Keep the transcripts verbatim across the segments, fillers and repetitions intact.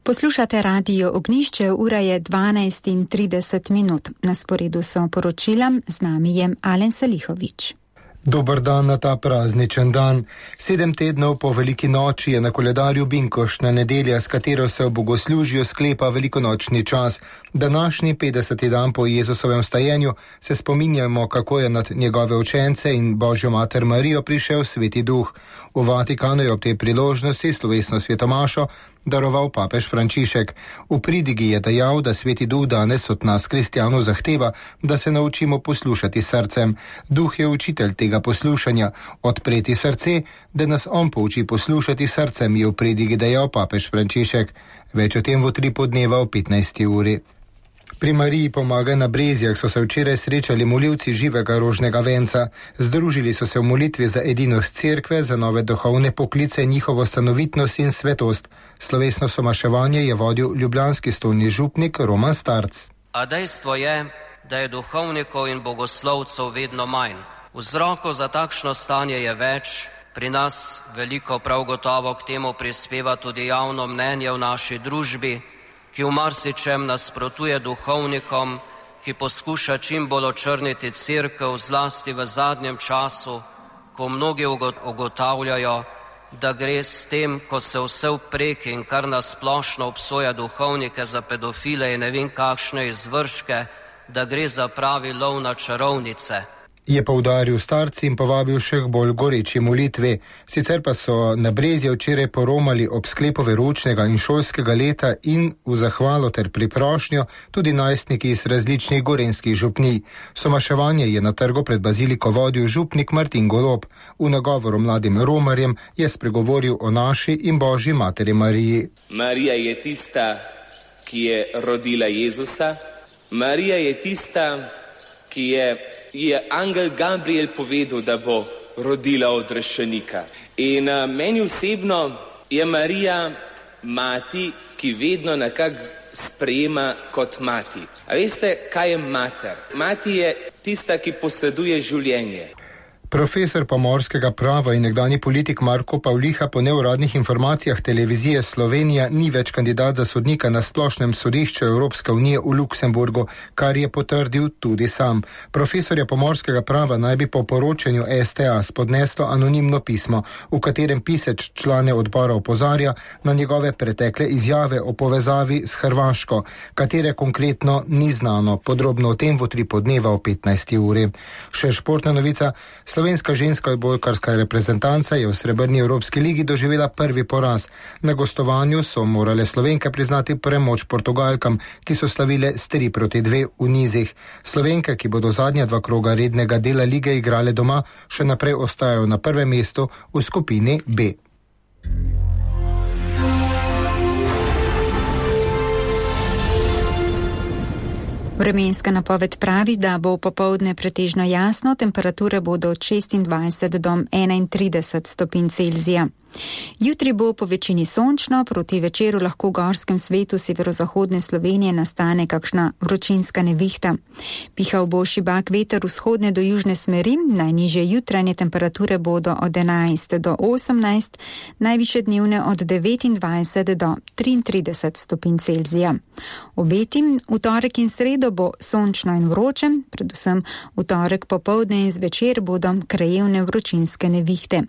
Poslušate Radio Ognjišče, ura je dvanajst in trideset minut. Na sporedu so poročila, z nami je Alen Salihovič. Dober dan na ta prazničen dan. Sedem tednov po veliki noči je na koledarju binkoštna nedelja, s katero se v bogoslužju sklepa velikonočni čas. Današnji petdeseti dan po Jezusovem vstajenju se spominjamo, kako je nad njegove učence in Božjo mater Marijo prišel Sveti Duh. V Vatikanu je ob tej priložnosti slovesno svetomašo daroval papež Frančišek. V pridigi je dejal, da Sveti Duh danes od nas kristjanov zahteva, da se naučimo poslušati srcem. Duh je učitelj tega poslušanja. Odpreti srce, da nas on pouči poslušati srcem, je v pridigi dejal papež Frančišek. Več o tem v tri podneva v petnajsti uri. Pri Mariji pomaga na Brezjah so se včeraj srečali molilci živega rožnega venca. Združili so se v molitvi za edinost cerkve, za nove duhovne poklice, njihovo stanovitnost in svetost. Slovesno somaševanje je vodil ljubljanski stolni župnik Roman Starc. A dejstvo je, da je duhovnikov in bogoslovcev vedno manj. Vzrokov za takšno stanje je več. Pri nas veliko prav gotovo k temu prispeva tudi javno mnenje v naši družbi, ki v marsičem nasprotuje duhovnikom, ki poskuša čim bolj očrniti cerkev, zlasti v zadnjem času, ko mnogi ugotavljajo, da gre s tem, ko se vse vpreki in kar nasplošno obsoja duhovnike za pedofile in ne vem kakšne izvrške, da gre za pravi lov na čarovnice. Je poudaril Starci in povabil še k bolj goreči molitvi. Sicer pa so na Brezje včeraj poromali ob sklepu veroučnega in šolskega leta in v zahvalo ter priprošnjo tudi najstniki iz različnih gorenjskih župnij. Somaševanje je na trgu pred baziliko vodil župnik Martin Golob. V nagovoru mladim romarjem je spregovoril o naši in Božji materi Mariji. Marija je tista, ki je rodila Jezusa. Marija je tista, ki je je angel Gabriel povedal, da bo rodila odrešenika. In uh, meni osebno je Marija mati, ki vedno nekako sprejema kot mati. A veste, kaj je mater? Mati je tista, ki poseduje življenje. Profesor pomorskega prava in nekdanji politik Marko Pavliha po neuradnih informacijah televizije Slovenija ni več kandidat za sodnika na splošnem sodišču Evropske unije v Luksemburgu, kar je potrdil tudi sam. Profesorja pomorskega prava naj bi po poročanju S T A spodneslo anonimno pismo, v katerem pisec člane odbora opozarja na njegove pretekle izjave o povezavi s Hrvaško, katere konkretno ni znano. Podrobno o tem v tri podneva o petnajsti uri. Še športna novica. Slovenska ženska odbojkarska reprezentanca je v srebrni Evropski ligi doživela prvi poraz. Na gostovanju so morale Slovenke priznati premoč Portugalkam, ki so slavile s tri proti dve v nizih. Slovenke, ki bodo zadnja dva kroga rednega dela lige igrale doma, še naprej ostajajo na prvem mestu v skupini B. Vremenska napoved pravi, da bo popoldne pretežno jasno, temperature bodo od šestindvajset do enaintrideset stopinj Celzija. Jutri bo po večini sončno, proti večeru lahko v gorskem svetu severozahodne Slovenije nastane kakšna vročinska nevihta. Pihal bo šibak veter vzhodne do južne smeri, najnižje jutranje temperature bodo od enajst do osemnajst, najvišje dnevne od devetindvajset do triintrideset stopinj Celzija. Obeti v torek in sredo bo sončno in vroče, predvsem v torek popoldne in zvečer bodo krajevne vročinske nevihte.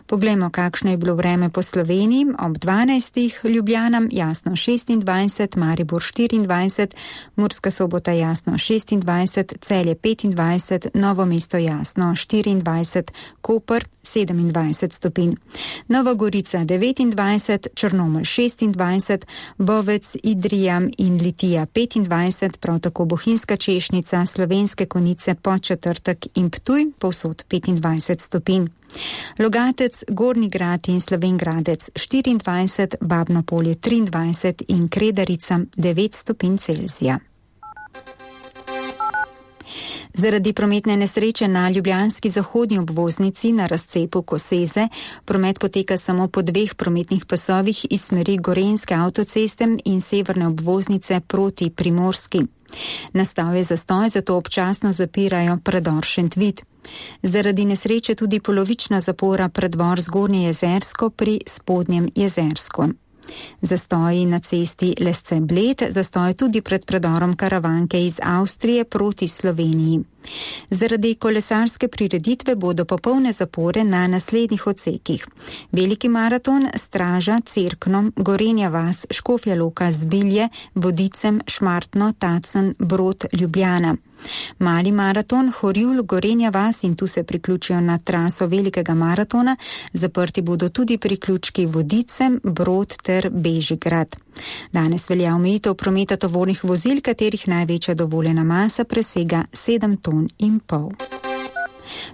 Poglejmo, kakšno je bilo vreme po Sloveniji. Ob dvanajstih Ljubljana jasno šestindvajset, Maribor štiriindvajset, Murska Sobota jasno šestindvajset, Celje petindvajset, Novo mesto jasno štiriindvajset, Koper sedemindvajset stopinj. Nova Gorica devetindvajset, Črnomelj šestindvajset, Bovec, Idrija in Litija petindvajset, prav tako Bohinjska Češnica, Slovenske Konjice, Podčetrtek in Ptuj povsod petindvajset stopinj. Logatec, Gornji Grad in Slovenj Gradec štiriindvajset, Babno Polje triindvajset in Kredarica devet stopinj Celzija. Zaradi prometne nesreče na ljubljanski zahodni obvoznici na razcepu Koseze promet poteka samo po dveh prometnih pasovih iz smeri Gorenjske avtoceste in severne obvoznice proti Primorski. Nastal je zastoj, zato občasno zapirajo predor Šentvid. Zaradi nesreče tudi polovična zapora predvor Zgornje Jezersko pri Spodnjem Jezersko. Zastoji na cesti Lesce-Bled, zastoj tudi pred predorom Karavanke iz Avstrije proti Sloveniji. Zaradi kolesarske prireditve bodo popolne zapore na naslednjih odsekih. Veliki maraton Straža, Cerkno, Gorenja vas, Škofja Loka, Zbilje, Vodicem, Šmartno, Tacen, Brod, Ljubljana. Mali maraton Horjul, Gorenja vas in tu se priključijo na traso velikega maratona, zaprti bodo tudi priključki Vodicem, Brod ter Bežigrad. Danes velja omejitev prometa tovornih vozil, katerih največja dovoljena masa presega sedem ton in pol.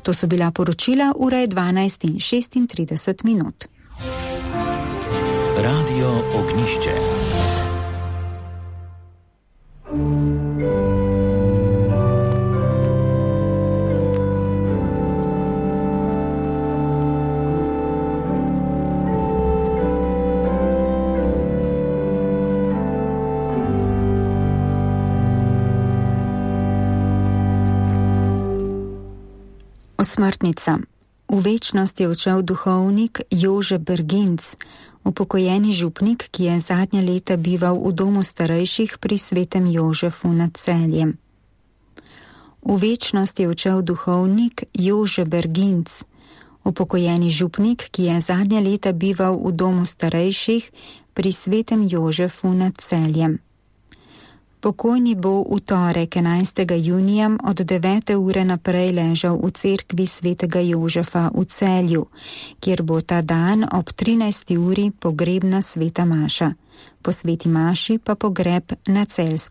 To so bila poročila, ura je dvanajst in šestintrideset minut. Radio Ognišče. Osmrtnica. V večnost je odšel duhovnik Jože Berginc, upokojeni župnik, ki je zadnja leta bival v domu starejših pri Svetem Jožefu nad Celjem. V večnost je odšel duhovnik Jože Berginc, upokojeni župnik, ki je zadnja leta bival v domu starejših pri Svetem Jožefu nad Celjem. Pokojni bo v torek enajstega junija od devete ure naprej ležal v cerkvi Svetega Jožefa v Celju, kjer bo ta dan ob trinajsti uri pogrebna sveta maša. Po sveti maši pa pogreb na celjskem